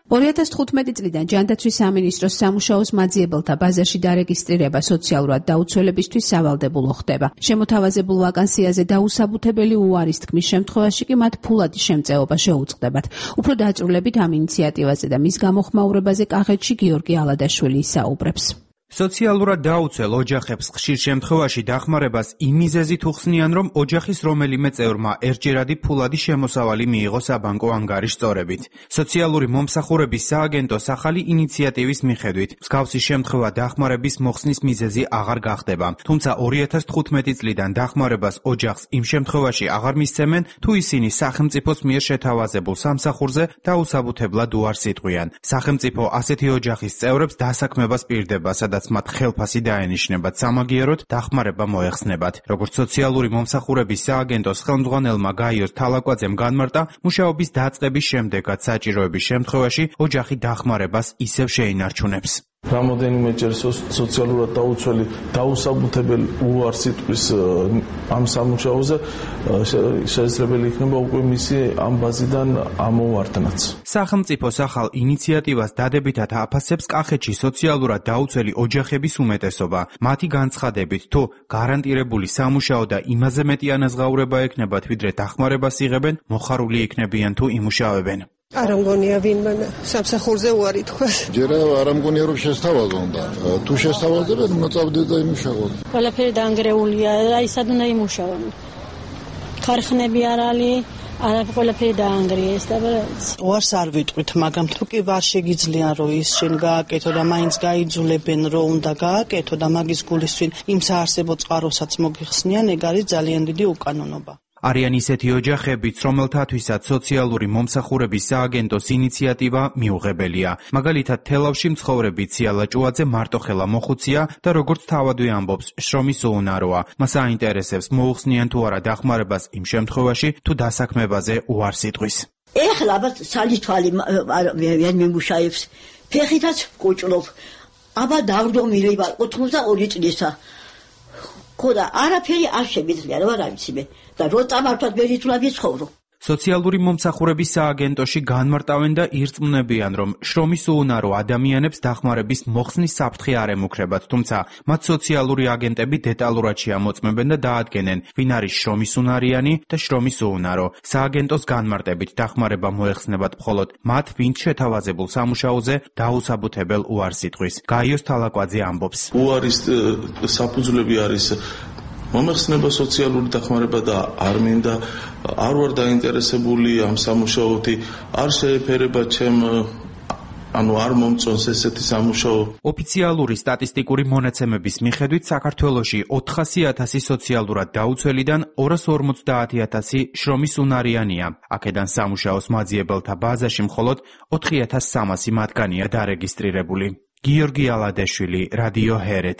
2015 წლიდან ჯანდაცვის სამინისტროს სამუშაოს მაძიებელთა ბაზარში დარეგისტრირება სოციალურად დაუცველებისთვის სავალდებულო ხდება. შემოთავაზებულ ვაკანსიაზე დაუსაბუთებელი უარის თქმის შემთხვევაში კი მათ ფულადი შემწეობა შეუწყდებათ. უფრო დაწვრილებით ამ ინიციატივაზე და მის გამოხმაურებაზე კახეთში გიორგი ალადაშვილი ისაუბრებს. სოციალურად დაუცველ ოჯახებს ხშირ შემთხვევაში დახმარებას იმ მიზეზით უხსნიან, რომ ოჯახის რომელიმე წევრმა ერთჯერადი ფულადი შემოსავალი მიიღო საბანკო ანგარიშწორებით. სოციალური მომსახურების სააგენტოს ახალი ინიციატივის მიხედვით მსგავსი შემთხვევა დახმარების მოხსნის მიზეზი აღარ გახდება. თუმცა 2015 წლიდან დახმარებას ოჯახს იმ შემთხვევაში აღარ მისცემენ, თუ ისინი სახელმწიფოს მიერ შეთავაზებულ სამსახურზე დაუსაბუთებლად უარს იტყვიან. სახელმწიფო ასეთი ოჯახის წევრებს დასაქმებას პირდება, სადაც მათ ხელფასი დაენიშნებათ, სამაგიეროდ დახმარება მოეხსნებათ. როგორც სოციალური მომსახურების სააგენტოს ხელმძღვანელმა გაიოს თალაკვაძემ განმარტა, მუშაობის დაწყების შემდეგაც საჭიროების შემთხვევაში ოჯახი დახმარებას ისევ შეინარჩუნებს. Რამდენიმეჯერ სოციალურად დაუცველი დაუსაბუთებელი უარს იტყვის ამ სამუშაოზე შესაძლებელი იქნება უკვე მისი ამ ბაზიდან ამოვარდნაც. სახელმწიფოს ახალ ინიციატივას დადებითად აფასებს კახეთში სოციალურად დაუცველი ოჯახების უმეტესობა. მათი განცხადებით, თუ გარანტირებული სამუშაო და იმაზე მეტი ანაზღაურება ექნებათ, ვიდრე დახმარებას იღებენ, მოხარული იქნებიან თუ იმუშავებენ. არ მგონია ვინმე სამსახურზე უარი თქვას. ჯერა არ მგონია რომ შესთავაზონ და თუ შესთავაზებენ უნდა წავიდე და იმუშაოთ. ყველაფერი დაანგრეულია, აი სად უნდა იმუშავონ. ქარხნები არ არის, არა ყველაფერი დაანგრიეს და უარს არ ვიტყვით, მაგრამ თუ კი ვარ შეგიძლიან რომ ის შენ გააკეთო და მაინც გაიძულებენ რომ უნდა გააკეთო და მაგის გულისწინ იმ საარსებო წყაროსაც მოგიხსნიან, ეგ არის ძალიან დიდი უკანონობა. არიან ისეთი ოჯახებიც, რომელთათვისაც სოციალური მომსახურების სააგენტოს ინიციატივა მიუღებელია. მაგალითად, თელავში მცხოვრები ციალა ჭუაძე მარტოხელა მოხუცია და როგორც თავადვე ამბობს, შრომის უუნაროა. მას აინტერესებს მოუხსნიან თუ არა დახმარებას იმ შემთხვევაში, თუ დასაქმებაზე უარს იტყვის. ეხლა აბა სალითვალი ვერ მიმუშავებს, ფეხითაც კუჭლობ. აბა დავრდომილი ვარ 82 წლისა. ხოდა არაფერი არ შემიძლია, რა ვიცი მე. და რო წამართვად ვერ ითვლა ვიცხოვრო. სოციალური მომსახურების სააგენტოში განმარტავენ და ირწმუნებიან, რომ შრომის უუნარო ადამიანებს დახმარების მოხსნის საფრთხე არ ემუქრებათ, თუმცა მათ სოციალური აგენტები დეტალურად შეამოწმებენ და დაადგენენ, ვინ არის შრომის უნარიანი და შრომის უუნარო. სააგენტოს განმარტებით დახმარება მოეხსნებათ მხოლოდ მათ, ვინც შეთავაზებულ სამუშაოზე დაუსაბუთებელ უარს იტყვის. გაიოს თალაკვაძე ამბობს. უარის საფუძვლები არის მომეხსნება სოციალური დახმარება და არ მინდა, არ ვარ დაინტერესებული ამ სამუშაოთი, არ შეეფერება ჩემ არ მომწონს ესეთი სამუშაო. ოფიციალური სტატისტიკური მონაცემების მიხედვით საქართველოში 400,000 სოციალურად დაუცველიდან 250,000 შრომის უნარიანია. აქედან სამუშაოს მაძიებელთა ბაზაში მხოლოდ 4,300 მათგანია დარეგისტრირებული. გიორგი ალადაშვილი, რადიო ჰერეთი.